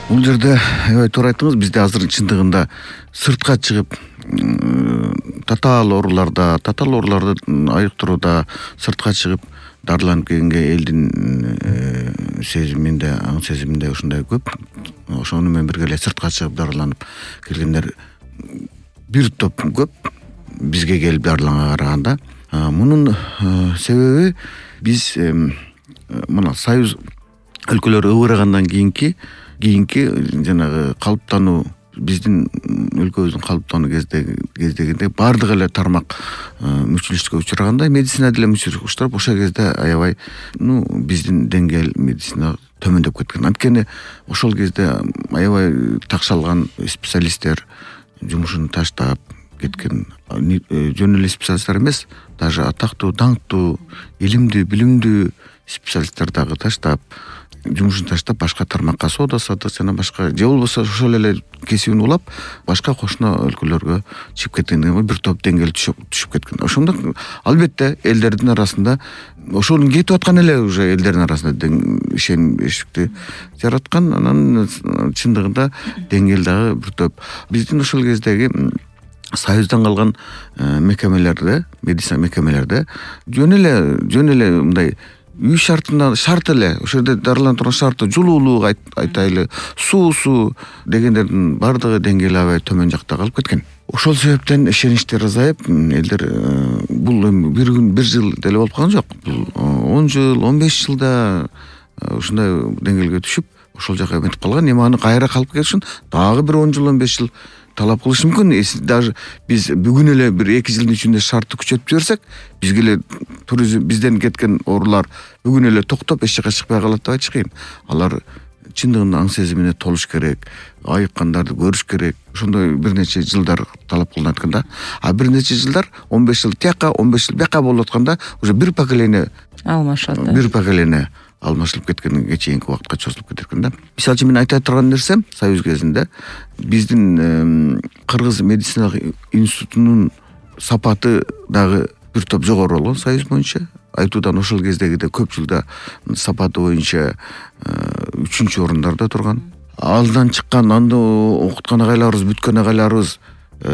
Бул жерде аябай туура айттыңыз. Бизде азыр чындыгында сыртка чыгып татаал ооруларды айыктырууда сыртка чыгып дарыланып келгенге элдин сезиминде, аң сезиминде ушундай көп. Ошону менен бирге эле сыртка чыгып дарыланып келгендер бир топ көп бизге келип дарыланганга караганда. Мунун себеби биз мына Союз өлкөлөрү ыбырагандан кийинки жанагы калыптануу, биздин өлкөбүздүн калыптануу кездегенде бардык эле тармак мүчүлүшкө учураганда медицина деле мүчүлүшкө учурап, ошол кезде аябай биздин деңгээл медицина төмөндөп кеткен. Анткени ошол кезде аябай такшалган специалисттер жумушун таштап кеткен. Жөн эле специалисттер эмес, даже атактуу, даңктуу, илимдүү, билимдүү специалисттер дагы жумушун таштап башка тармакка соода сатык жана башка, же болбосо ошол эле кесибин улап башка кошуна өлкөлөргө чыгып кеткенден бир топ деңгээл түшүп кеткен. Ошондо албетте элдердин арасында ошонун кетип аткан эле уже элдердин арасында ишенимдүүлүктү жараткан. Анан чындыгында деңгээл дагы бир топ биздин ошол кездеги Союздан калган мекемелерде, медицина мекемелерде жөн эле мындай үй шарт эле, ошол жерде дарыланып турган шарты жылуулук айтайлы, суусу дегендердин бардыгы деңгээли аябай төмөн жакта калып кеткен. Ошол себептен ишеничтер азайып, элдер бул эми бир күн, бир жыл деле болуп калган жок. Бул 10 жыл, 15 жылда ушундай деңгээлге түшүп, ошол жака эметип калган. Эми аны кайра калып келиш үчүн дагы бир 10 жыл, 15 жыл талап кылыш мүмкүн. Даже биз бүгүн эле бир 2 жылдын ичинде шартты күчөтүп жиберсек, бизге эле туризм, бизден кеткен оорулар бүгүн эле токтоп эч жака чыкпай калат деп айтыш кыйын. Алар чындыгында аң сезимине толуш керек, айыккандарды көрүш керек. Ошондой бир нече жылдар талап кылынат экен да. А бир нече жылдар, 15 жыл тияка, 15 жыл бияка болуп атканда уже бир поколение алмашат. Бир поколение алмашылып кеткенге чейинки убакытка чозулуп кетет экен да. Мисалы үчүн мен айта турган нерсем, Союз кезинде биздин Кыргыз медициналык институтунун сапаты дагы бир топ жогору болгон Союз боюнча. Айтуудан ошол кездегиде көп жылда сапаты боюнча 3-чү орундарда турган. Алдан чыккан, анда окуткан агайларыбыз, бүткөн агайларыбыз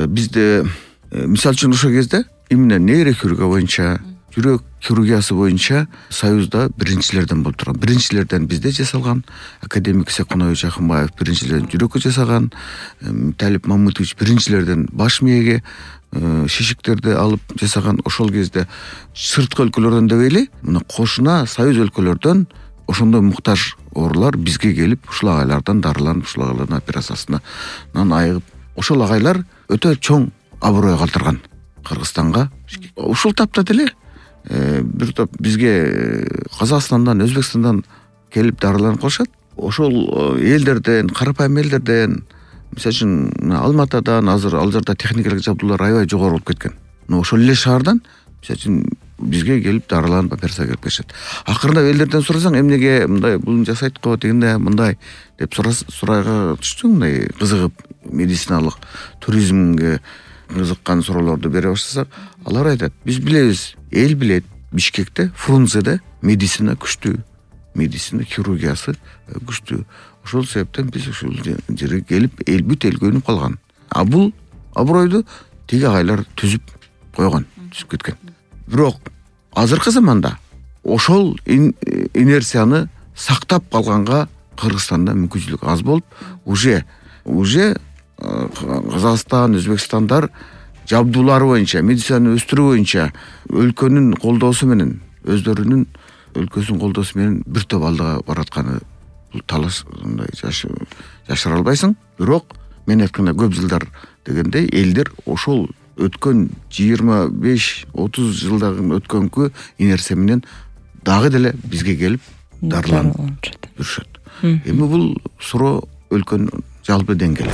бизде мисалы үчүн ошол кезде именно нейрохирургия боюнча, жүрөк хирургиясы боюнча Союзда биринчилерден болуп турган. Биринчилерден бизде жасалган, академик Секунович Акынбаев биринчилерден жүрөккө жасаган, Талип Мамытович биринчилерден баш мээге шишиктерди алып жасаган. Ошол кезде сырткы өлкөлөрдөн деп эле, мына кошуна Союз өлкөлөрдөн ошондой муктаж оорулар бизге келип, ушул агайлардан дарыланып, ушул агайлардын операциясынан айыгып, ошол агайлар өтө чоң аброй калтырган Кыргызстанга. Ушул тапта деле бир топ бизге Казакстандан, Өзбекстандан келип дарыланып калышат. Ошол элдерден, карапайым элдерден, мисалы үчүн Алматадан азыр ал жерде техникалык жабдуулар аябай жогору болуп кеткен. Ошол эле шаардан мисалы үчүн бизге келип дарыланып операция келип кетишет. Акырында элдерден сурасаң, эмнеге мындай буну жасайт го дегенде мындай деп сурайга түштү, мындай кызыгып медициналык туризмге кызыккан суроолорду бере баштасак, алар айтат: биз билебиз, эл билет, Бишкекте, Фрунзеде медицина күчтүү, медицина хирургиясы күчтүү. Ошол себептен биз ушул жерге келип, бүт эл көнүп калган. А бул абройду тиги агайлар түзүп койгон, түзүп кеткен. Бирок азыркы заманда ошол инерцияны сактап калганга Кыргызстанда мүмкүнчүлүк аз болуп, уже Казакстан, Өзбекстандар жабдуулары боюнча, медицинаны өстүрүү боюнча өлкөнүн колдоосу менен, өздөрүнүн өлкөсүнүн колдоосу менен бир топ алдыга баратканы бул талаш, мындай жашыра албайсың. Бирок мен айткандай көп жылдар дегенде элдер ошол өткөн 25-30 жылдагы өткөнкү инерция менен дагы деле бизге келип дарыланып жүрүшөт. Эми бул суроо өлкөнүн жалпы деңгээли.